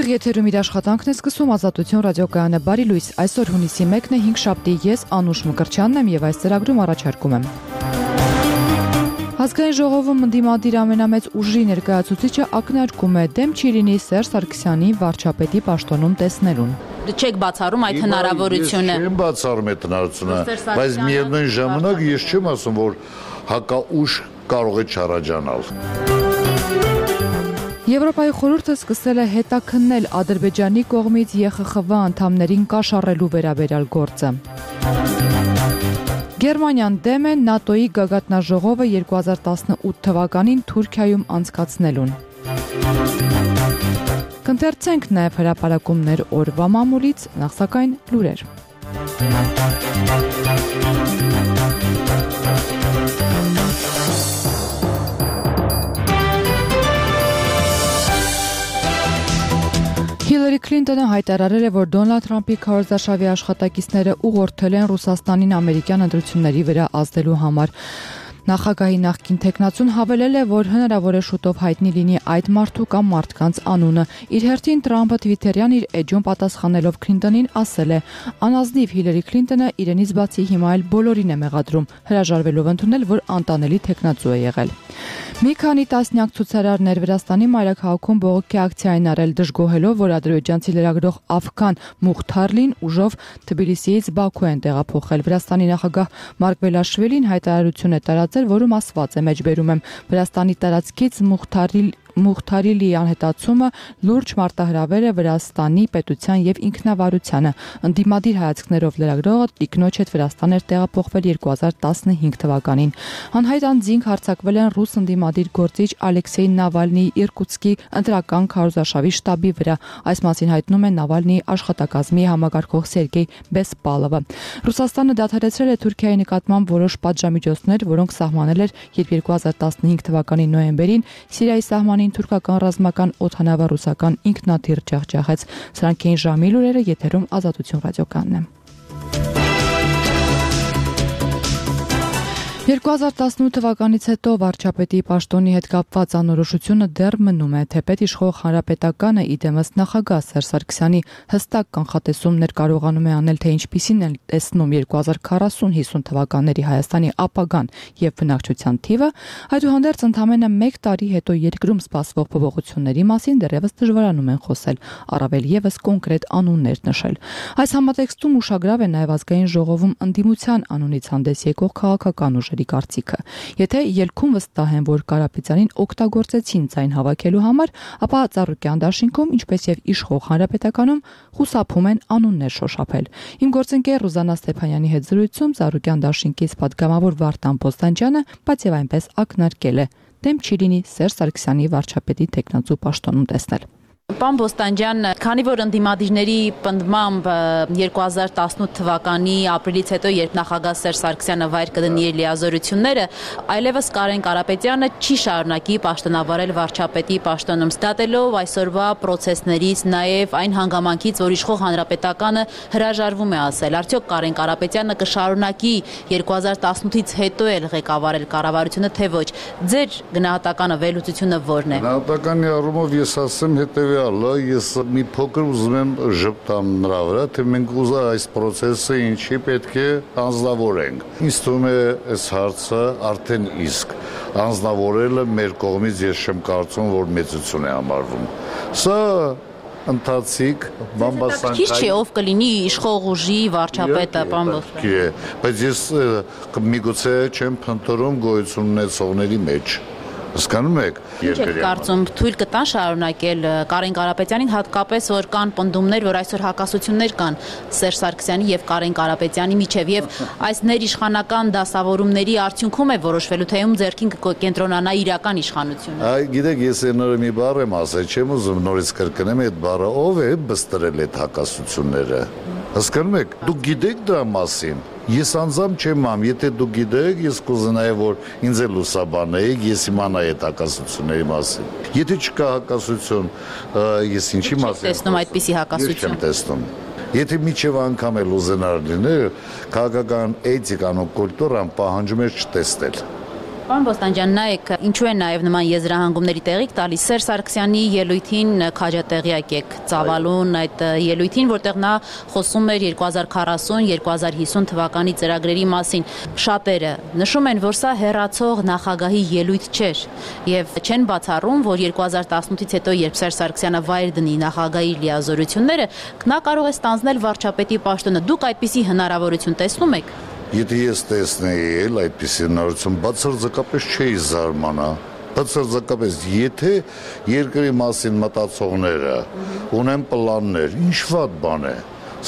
Եթերում իր աշխատանքն է սկսում Ազատություն ռադիոկայանը բարի լույս, այսօր հունիսի 1-ն է 5 շաբթի, ես Անուշ Մկրտչյանն եմ և այս ծրագրում առաջարկում եմ։ Ազգային ժողովում ընդդիմադիր ամենամեծ ուժի ներկայացուցիչը ակնարկում է դեմ չի լինի Սերժ Սարգսյանի վարչապետի պաշտոնում տեսնելուն։ Չեք բացառում այդ հնարավորությունը։ Ես չեմ բացառում այդ հնարավորությունը, բայց միևնույն ժամանակ ես չեմ ասում, որ հակաուժ կարող է չառաջանալ։ Եվրոպայի խորհուրդը սկսել է հետաքննել Ադրբեջանի կողմից ԵԽԽՎ անդամներին կաշառելու վերաբերյալ գործը։ Գերմանիան դեմ է ՆԱՏՕ-ի գագաթնաժողովը 2018 թվականին Թուրքիայում անցկացնելուն։ Կընթերցենք նաև հրապարակումներ օրվա մամուլից, նախ սակայն լուրեր։ Հիլարի Քլինտոնը հայտարարել է, որ Դոնալդ Թրամփի քարոզարշավի աշխատակիցները ուղղորդել են Ռուսաստանին ամերիկյան ընտրությունների վրա ազդելու համար։ Նախագահի նախկին թեկնածուն հավելել է, որ հնարավոր է շուտով հայտնի լինի այդ մարդու կամ մարդկանց անունը։ Իր հերթին Թրամփը Թվիթերյան իր էջում պատասխանելով Քլինտոնին ասել է. «Անազնիվ Հիլարի Քլինտոնը իրենից բացի հիմա էլ բոլորին է մեղադրում, հրաժարվելով ընդունել, որ անտանելի թեկնածու է եղել»։ Մի քանի տասնյակ ցուցարարներ Վրաստանի մայրաքաղաքում բողոքի ակցիա են արել, դժգոհելով, որ ադրբեջանցի լրագրող Աֆքան Մուխթարլին ուժով Թբիլիսիից Բաքու են տեղափոխել։ Վրաստանի նախագահ Մարկվելաշվիլին հայտարարություն է տարածել, որում ասված է, մեջբերում եմ, Վրաստանի տարածքից Մուխթարիլի անհետացումը լուրջ մարտահրավեր է Վրաստանի պետության եւ ինքնավարությանը։ Ընդդիմադիր հայացքներով լրագրողը տիկնոջ հետ Վրաստան էր տեղափոխվել 2015 թվականին։ Անհայտ անձինք հարձակվել են ռուս ընդդիմադիր գործիչ Ալեքսեյ Նավալնիի Իրկուտսկի ընտրական քարոզարշավի շտաբի վրա։ Այս մասին հայտնում է Նավալնիի աշխատակազմի համագարկող Սերգեյ Բեսպալովը։ Ռուսաստանը դադարեցրել է Թուրքիայի նկատմամբ որոշ պատժամիջոցներ, որոնք սահմանել էր, երբ 2015 թվականի նոյեմբերին Սիրիայի սահմանին թուրքական ռազմական օդանավը ռուսական ինքնաթիռ ջախջախեց։ Սրանք էին ժամի լուրերը, եթերում Ազատություն ռադիոկայանն է։ 2018 թվականից հետո վարչապետի պաշտոնի հետ կապված անորոշությունը դեռ մնում է, թեպետ իշխող հանրապետականը իդեմս նախագահ Սերժ Սարգսյանի հստակ կանխատեսումներ կարողանում է անել, թե ինչպիսին են տեսնում 2040-50 թվականների Հայաստանի ապագան եւ բնակչության թիվը, այդուհանդերձ ընդամենը 1 տարի հետո երկրում սպասվող փոփոխությունների մասին դեռևս դժվարանում են խոսել, առավել եւս կոնկրետ անուններ նշել։ Այս համատեքստում ուշագրավ է նաեւ ազգային ժողովում ընդդիմության անունից հանդես եկող քաղաքական ուժերի կարծիքը։ Եթե ելքում վստահ են, որ Կարապետյանին օգտագործեցին ձայն հավաքելու համար, ապա Ծառուկյան դաշինքում, ինչպես եւ իշխող հանրապետականում, խուսափում են անուններ շոշափել։ Իմ գործընկեր Ռուզանա Ստեփանյանի հետ զրույցում Ծառուկյան դաշինքից պատգամավոր Վարդան Պոստանջյանը, բայց եւ այնպես ակնարկել է. դեմ չի լինի Սերժ Սարգսյանի վարչապետի թեկնածու պաշտոնում տեսնել։ Պարոն Պոստանջյան, քանի որ ընդդիմադիրների պնդմամբ 2018 թվականի ապրիլից հետո, երբ նախագահ Սերժ Սարգսյանը վայր կդնի իր լիազորությունները, այլևս Կարեն Կարապետյանը չի շարունակի պաշտոնավարել վարչապետի պաշտոնում, ստատելով այսօրվա պրոցեսներից, նաև այն հանգամանքից, որ իշխող հանրապետականը հրաժարվում է ասել, արդյոք Կարեն Կարապետյանը կշարունակի 2018-ից հետո էլ ղեկավարել կառավարությունը, թե ոչ։ Ձեր գնահատականը, վերլուծությունը ո՞րն է։ Գնահատականի առումով ես ասեմ ես մի փոքր ուզում եմ ժպտամ նրա վրա, թե մենք այս process-ը ինչի պետք է անձնավորենք։ Ինձ թվում է այս հարցը արդեն իսկ անձնավորելը մեր կողմից ես չեմ կարծում, որ մեծություն է համարվում։ Սա ընթացիկ բամբասանքային։ Քիչ չէ, ով կլինի իշխող ուժի վարչապետը, պարոն Պոստանջյան։ Բայց ես միգուցե չեմ փնտրում գոյություն ունեցողների մեջ։ Հասկանում եք։ Ինչ եք կարծում, թույլ կտան շարունակել Կարեն Կարապետյանին, հատկապես որ կան պնդումներ, որ այսօր հակասություններ կան Սերժ Սարգսյանի եւ Կարեն Կարապետյանի միջև եւ այս ներիշխանական դասավորումների արդյունքում է որոշվելու, թե ում ձեռքին կկենտրոնանա իրական իշխանությունը։ Գիտեք, ես այնօր մի բառ եմ ասել, չեմ ուզում նորից կրկնեմ այդ բառը, ով է բստրել այդ հակասությունները։ Հասկանում եք, դուք գիտեք դրա մասին։ Ես անձամբ չեմ ամ, եթե դուք գիտեք, ես կուզենայի, որ ինձ էլ ուսաբանեիք, ես իմանայի այդ հակասությունների մասին։ Եթե չկա հակասություն, ես ինչի մասին տեսնում այդպիսի հակասություն։ Չեմ տեսնում։ Եթե միջև անգամ էլ ուզենար լինել, քաղաքական էթիկան ու կուլտուրան պահանջում է չտեսնել։ Պարոն Բոստանջյան, նայեք, ինչու է նաև նման եզրահանգումների տեղիք տալիս Սերժ Սարգսյանի ելույթին քաջատեղյակ եք ծավալուն այդ ելույթին, որտեղ նա խոսում էր 2040-2050 թվականի ծրագրերի մասին։ Շատերը նշում են, որ սա հեռացող նախագահի ելույթ չէր եւ չեն բացառում, որ 2018-ից հետո, երբ Սերժ Սարգսյանը վայր դնի նախագահի լիազորությունները, նա կարող է ստանձնել վարչապետի պաշտոնը։ Դուք այդպիսի հնարավորություն տեսնում եք։ Եթե ես տեսնեի այդպիսի հնարավորություն, բացարձակապես չէի զարմանա։ Բացարձակապես, եթե երկրի մասին մտածողները ունեն պլաններ, ինչ վատ բան է։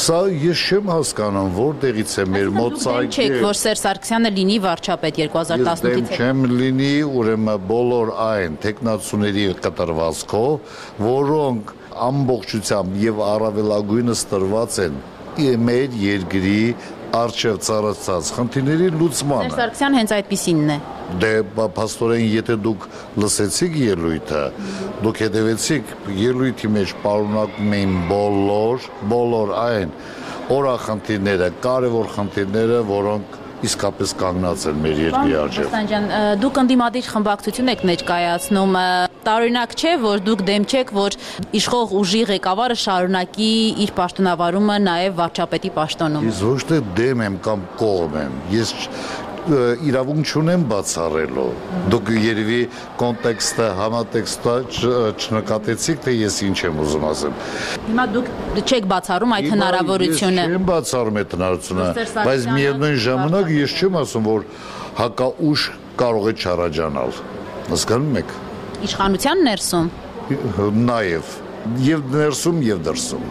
Սա ես չեմ հասկանում, որտեղից է մեր մոտ ցայգը։ Չեք, որ Սերժ Սարգսյանը լինի վարչապետ 2018-ից հետո։ Ես չեմ լինի, ուրեմն բոլոր այն տեխնացուների կտրվածքով, որոնք ամբողջությամբ եւ առավելագույնս տրված են մեր երկրի արժև ծառացած խնդիրների լուծմանը։ Սերժ Սարգսյան հենց այդպիսինն է։ Դե փաստորեն, եթե դուք լսեցիք ելույթը, դուք հետևեցիք ելույթի մեջ պարունակում էին բոլոր այն օրախնդիրները, կարևոր խնդիրները, որոնք իսկապես կանգնած են մեր երկրի առջև։ Բոստանջյան, դուք ընդդիմադիր խմբակցություն եք ներկայացնում, տարօրինակ չէ, որ դուք դեմ չեք, որ իշխող ուժի ղեկավարը շարունակի իր պաշտոնավարումը նաև վարչապետի պաշտոնում։ Ես ոչ թե դեմ եմ կամ կողմ եմ, ես իրավունք չունեմ բացառելու։ Դուք երևի կոնտեքստը, համատեքստը չնկատեցիք, թե ես ինչ եմ ուզում ասեմ։ Հիմա դուք չեք բացառում այդ հնարավորությունը։ Ես չեմ բացառում այդ հնարավորությունը, բայց միևնույն ժամանակ ես չեմ ասում, որ հակաուժ կարող է չառաջանալ։ Հասկանում եք։ Իշխանության ներսում։ Նաև եւ ներսում եւ դրսում։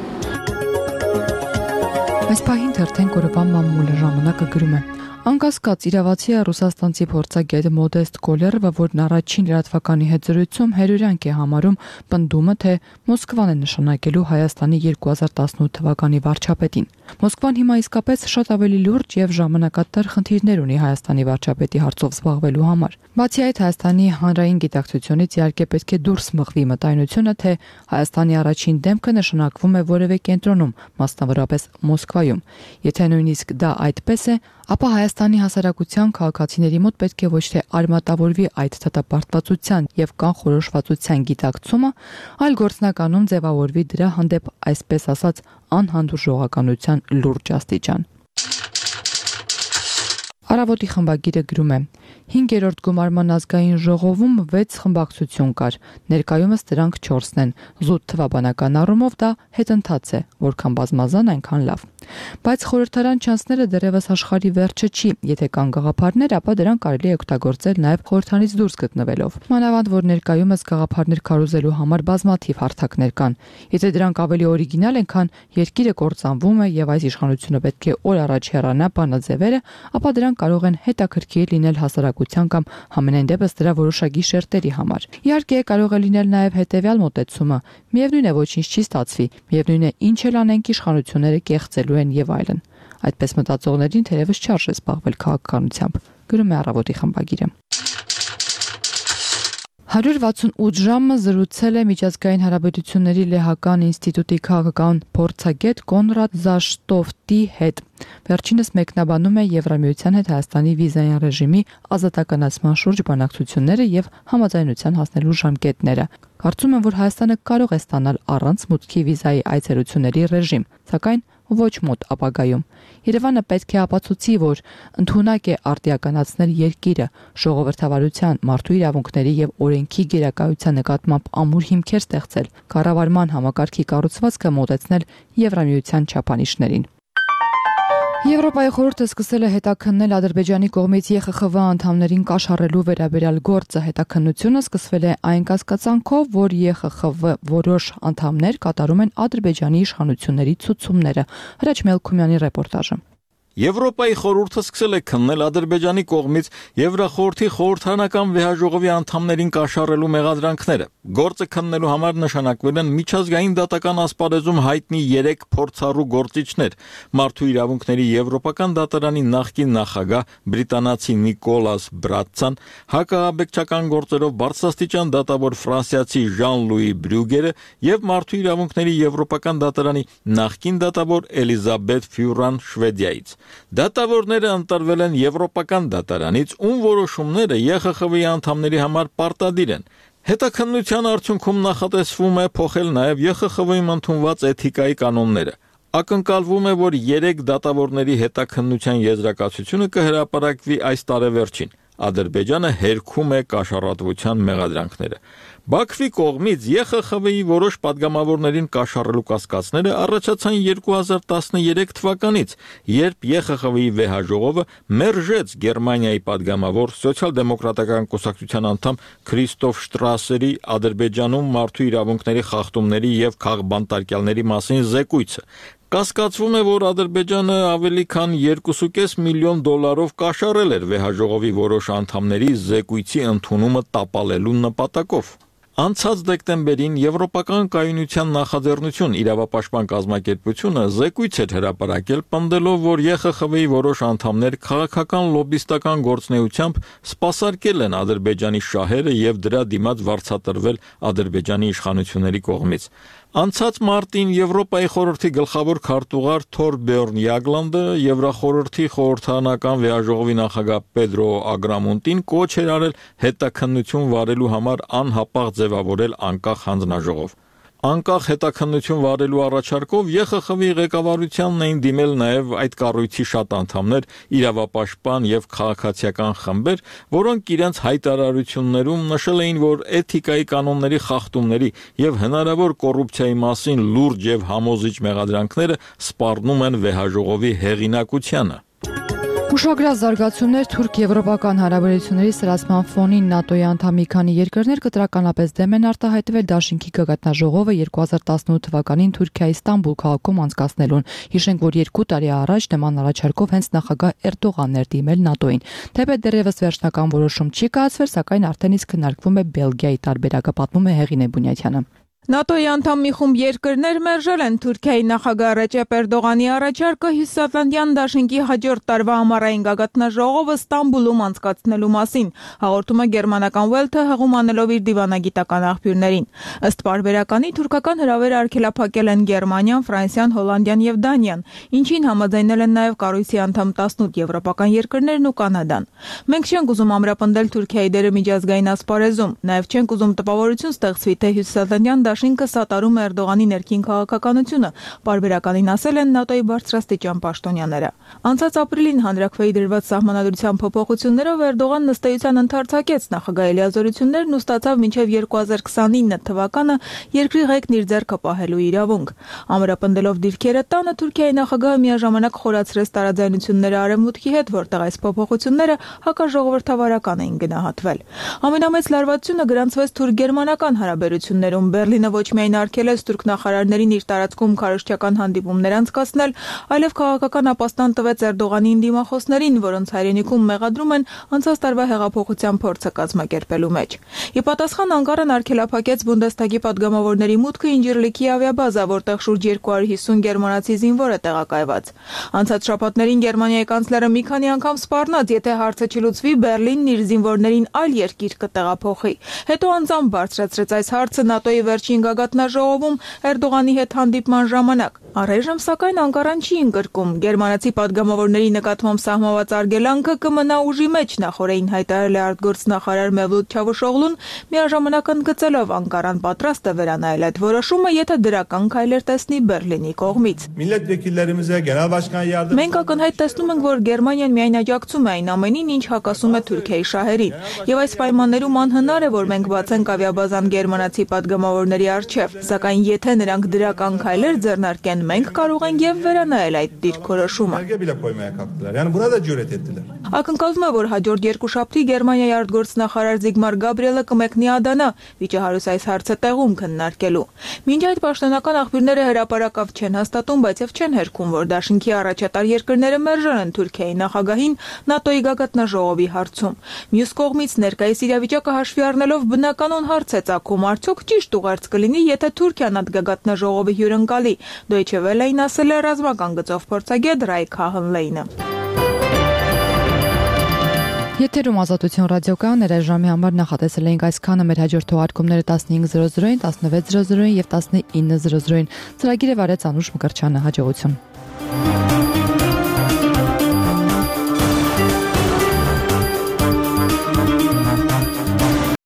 Այս պահին թերթեն կորովան մամուլը ժամանակը գրում է. Անկասկած իրավացի է ռուսաստանցի փորձագետ Մոդեստ Կոլերովը, որն առաջին լրատվականի հետ զրույցում հերյուրյանք է համարում պնդումը, թե Մոսկվան է նշանակելու Հայաստանի 2018 թվականի վարչապետին։ Մոսկվան հիմա իսկապես շատ ավելի լուրջ եւ ժամանակատար խնդիրներ ունի Հայաստանի վարչապետի հարցով զբաղվելու համար։ Բացի այդ, Հայաստանի հանրային գիտակցությունից իհարկե պետք է դուրս մղվի մտայնությունը, թե Հայաստանի առաջին դեմքը նշանակվում է որևէ կենտրոնում, մասնավորապես Մոսկվայում։ Եթե նույնիսկ դա այդպես է, ապա Հայաստանի հասարակության քաղաքացիների մոտ պետք է ոչ թե արմատավորվի այդ դատապարտվածության եւ կանխորոշվածության գիտակցումը, այլ գործնականում ձևավորվի դրա հանդեպ այսպես ասած անհանդուրժողականության լուրջ աստիճան։ Առավոտի խմբագիրը գրում է. 5-րդ գումարման ազգային ժողովում 6 խմբակցություն կար, ներկայումս դրանք 4-ն են, զուտ թվաբանական առումով դա հետընթաց է, որքան բազմազան այնքան լավ։ Բայց խորհրդարան չանցները դեռևս աշխարհի վերջը չի, եթե կան գաղափարներ, ապա դրանք կարելի է օգտագործել նաև խորհրդանից դուրս գտնվելով։ Մանավանդ որ ներկայումս գաղափարներ քարոզելու համար բազմաթիվ հարթակներ կան։ Եթե դրանք ավելի օրիգինալ են, քան երկիրը կործանվում է եւ այս իշխանությունը պետք է օր առաջ հեռանա բանաձևերը, ապա դրանք կարող են հետաքրքիր լինել հասարակության կամ համենայն դեպս դրա որոշակի շերտերի համար։ Իհարկե կարող է լինել նաև հետեւյալ մոտեցումը. միևնույն է ոչինչ չի ստացվի, միևնույն է ինչ էլ անենք իշխանությունները կեղծելու են եւ այլն։ Այդպես մտածողներին թերևս չարժե զբաղվել քաղաքականությամբ, գրում է Առավոտի խմբագիրը։ 168 ժամը զրուցել է միջազգային հարաբերությունների լեհական ինստիտուտի քաղաքական փորձագետ Կոնրադ Զաշտոֆտի հետ։ Վերջինս մեկնաբանում է Եվրամիության հետ Հայաստանի վիզային ռեժիմի ազատականացման շուրջ բանակցությունները եւ համաձայնության հասնելու ժամկետները։ Կարծում եմ, որ Հայաստանը կարող է ստանալ առանց մուտքի վիզայի այցելությունների ռեժիմ, սակայն ոչ մոտ ապագայում։ Երևանը պետք է ապացուցի, որ ընդունակ է արտիականացնել երկիրը, ժողովրդավարության, մարդու իրավունքների եւ օրենքի գերակայության նկատմամբ ամուր հիմքեր ստեղծել, կառավարման համակարգի կառուցվածքը մոտեցնել Եվրամիության չափանիշներին։ Եվրոպայի խորհուրդը սկսել է հետաքննել Ադրբեջանի կողմից ԵԽԽՎ անդամներին կաշառելու վերաբերյալ գործը։ Հետաքննությունը սկսվել է այն կասկածանքով, որ ԵԽԽՎ որոշ անդամներ կատարում են Ադրբեջանի իշխանությունների ցուցումները։ Հրաչ Մելքումյանի ռեպորտաժը։ Եվրոպայի խորհուրդը սկսել է քննել Ադրբեջանի կողմից Եվրախորհրդի խորհրդարանական վեհաժողովի անդամներին կաշառելու մեղադրանքները։ Գործը քննելու համար նշանակվել են միջազգային դատական ասպարեզում հայտնի 3 փորձառու գործիչներ՝ Մարդու իրավունքների Եվրոպական դատարանի նախկին նախագահ բրիտանացի Նիկոլաս Բրատցան, հակաաբեկչական գործերով բարձրաստիճան դատավոր ֆրանսիացի Ժան-Լուի Բրյուգերը եւ Մարդու իրավունքների Եվրոպական դատարանի նախկին դատավոր Էլիզաբեթ Ֆյուրան Շվեդիայից։ Դատավորները ընտրվել են Եվրոպական դատարանից, ում որոշումները ԵԽԽՎ-ի անդամների համար պարտադիր են։ Հետաքննության արդյունքում նախատեսվում է փոխել նաև ԵԽԽՎ-ում ընդունված էթիկայի կանոնները։ Ակնկալվում է, որ 3 դատավորների հետաքննության եզրակացությունը կհրապարակվի այս տարեվերջին։ Ադրբեջանը հերքում է կաշառատվության մեղադրանքները։ Բաքվի կողմից ԵԽԽՎ-ի որոշ падգամավորներին կաշառելու կասկածները առաջացան 2013 թվականից, երբ ԵԽԽՎ-ի վեհաժողովը մերժեց Գերմանիայի падգամավոր սոցիալ-դեմոկրատական կուսակցության անդամ Քրիստոֆ Շտրասերի Ադրբեջանում մարդու իրավունքների խախտումների եւ քաղբանտարկյալների մասին զեկույցը։ Կասկածվում է, որ Ադրբեջանը ավելի քան $2.5 միլիոն կաշառել էր վեհաժողովի որոշ անդամների զեկույցի ընդունումը տապալելու նպատակով։ Անցած դեկտեմբերին Եվրոպական կայունության նախաձեռնություն իրավապաշտպան կազմակերպությունը զեկույց էր հրապարակել, պնդելով, որ ԵԽԽՎ-ի որոշ անդամներ քաղաքական լոբիստական գործունեությամբ սպասարկել են Ադրբեջանի շահերը եւ դրա դիմաց վարձատրվել Ադրբեջանի իշխանությունների կողմից։ Անցած մարտին Եվրոպայի խորհրդի գլխավոր քարտուղար Թորբերն Յագլանդը Եվրախորհրդի խորհրդարանական վեհաժողովի նախագահ Պեդրո Ագրամոնտին կոչ էր արել հետաքննություն վարելու համար անհապաղ ձևավորել անկախ հանձնաժողով։ Անկախ հետաքննություն վարելու առաջարկով ԵԽԽՎ-ի ղեկավարությանն էին դիմել նաև այդ կառույցի շատ անդամներ, իրավապաշտպան եւ քաղաքացիական խմբեր, որոնք իրենց հայտարարություններում նշել էին, որ էթիկայի կանոնների խախտումների եւ հնարավոր կոռուպցիայի մասին լուրջ եւ համոզիչ մեղադրանքները սպառնում են վեհաժողովի հեղինակությանը։ Ուշագրավ զարգացումներ թուրք-եվրոպական հարաբերությունների սրացման ֆոնին ՆԱՏՕ-ի անդամ մի քանի երկրներ կտրականապես դեմ են արտահայտվել Դաշինքի գագաթնաժողովը 2018 թվականին Թուրքիայի Ստամբուլ քաղաքում անցկացնելուն։ Հիշենք, որ 2 տարի առաջ նման առաջարկով հենց նախագահ Էրդողանն էր դիմել ՆԱՏՕ-ին։ Թեպետ դեռևս վերջնական որոշում չի կայացվել, սակայն արդեն իսկ քննարկվում է Բելգիայի տարբերակը, պատմում է Հեղինե Բունյաթյանը։ ՆԱՏՕ-ի անդամ մի խումբ երկրներ մերժել են Թուրքիայի նախագահ Ռեջեփ Էրդողանի առաջարկը Հյուսիսատլանտյան դաշինքի հաջորդ տարվա ամառային գագաթնաժողովը Ստամբուլում անցկացնելու մասին, հաղորդում է գերմանական Welt-ը հղում անելով իր դիվանագիտական աղբյուրներին։ Ըստ պարբերականի թուրքական հրավերը արգելափակել են Գերմանիան, Ֆրանսիան, Հոլանդիան եւ Դանիան, ինչին համաձայնել են նաեւ կառույցի անդամ 18 եվրոպական երկրներն ու Կանադան։ Մենք չենք ուզում ամրապնդել Թուրքիայի դերը միջազգային ասպարեզում, նաեւ չենք ուզում տպավորություն ստեղծվի, թե Հյուսիսատլանտյան Դաշինքը սատարում է Էրդողանի ներքին քաղաքականությունը, պարբերականին ասել են ՆԱՏՕ-ի բարձրաստիճան պաշտոնյաները։ Անցած ապրիլին հանրաքվեի դրված սահմանադրության փոփոխություններով Էրդողանն ըստ էության ընդարձակեց նախագահի լիազորություններն ու ստացավ մինչև 2029 թվականը երկրի ղեկն իր ձեռքը պահելու իրավունք։ Ամրապնդելով դիրքերը տանը Թուրքիայի նախագահը միաժամանակ խորացրեց տարաձայնությունները Արևմուտքի հետ, որտեղ այս փոփոխությունները հակաժողովրդավարական էին գնահատվել։ Ամենամեծ լարվածությունը գրանցվեց թուրք-գերմանական հարաբերություններում։ Բերլինը ոչ միայն արգելեց թուրք նախարարներին իր տարածքում քարոզչական հանդիպումներ անցկացնել, այլև քաղաքական ապաստան տվեց Էրդողանին դիմախոսներին, որոնց հայրենիքում մեղադրում են անցած տարվա հեղափոխության փորձը կազմակերպելու մեջ։ Ի պատասխան Անկարան արգելափակեց Բունդեսթագի падգամավորների մուտքը Ինջիրլիքի ավիաբազա, որտեղ շուրջ 250 գերմանացի զինվոր է տեղակայված։ Անցած շաբաթներին Գերմանիայի կանցլերը մի քանի անգամ սպառնաց, եթե հարցը չլուծվի, Բերլինն իր զինվորներին այլ երկիր կտեղափոխի։ Հետո անձամբ բարձրացրեց այս հարցը ՆԱՏՕ-ի վերջին գագաթնաժողովում Էրդողանի հետ հանդիպման ժամանակ։ Առայժմ սակայն Անկարան չի ընկրկում գերմանացի падգամավորների նկատմամբ սահմանված արգելանքը կմնա ուժի մեջ, նախորդին հայտարարել է արտգործնախարար Մևլութ Չավուշօղլուն, միաժամանակ ընդգծելով Անկարան պատրաստ է վերանայել այդ որոշումը, եթե դրական քայլեր տեսնի Բերլինի կողմից։ Մենք ակնհայտ տեսնում ենք, որ Գերմանիան միայն աջակցում է այն ամենին, ինչ հակասում է Թուրքիայի շահերին, եւ այս պայմաններում անհնար է, որ մենք բացենք ավիաբազան գերմանացի падգամավորների առջև, սակայն եթե նրանք դրական քայլեր ձեռնարկեն, մենք կարող ենք եւ վերանայել այդ դիրքորոշումը։ Ակնկալվում է, որ հաջորդ երկուշաբթի Գերմանիայի արտգործնախարար Զիգմար Գաբրիելը կմեկնի Ադանա, վիճահարույց այս հարցը տեղում քննարկելու։ Մինչ այդ պաշտոնական աղբյուրները հրապարակավ չեն հաստատում, բայց եւ չեն հերքում, որ Դաշինքի առաջատար երկրները մերժել են Թուրքիայի նախագահին ՆԱՏՕ-ի գագաթնաժողովի հարցում։ Մյուս կողմից ներկայիս իրավիճակը հաշվի առնելով բնականon հարց է ծագում, արդյոք ճիշտ ուղերձ կլինի, եթե Թուրքիան այդ գագաթնաժողովի հյուրընկալի։ Դոյչե Վելեին ասել է ռազմական գծով փորձագետ Ռայք Հահնլեյնը։ Եթերում Ազատություն ռադիոկայաններ այս ժամի համար նախատեսել էինք այսքանը, մեր հաջորդ թողարկումները 15:00-ին, 16:00-ին եւ 19:00-ին։ Ծրագիրը վարեց Անուշ Մկրտչյանը, հաջողություն։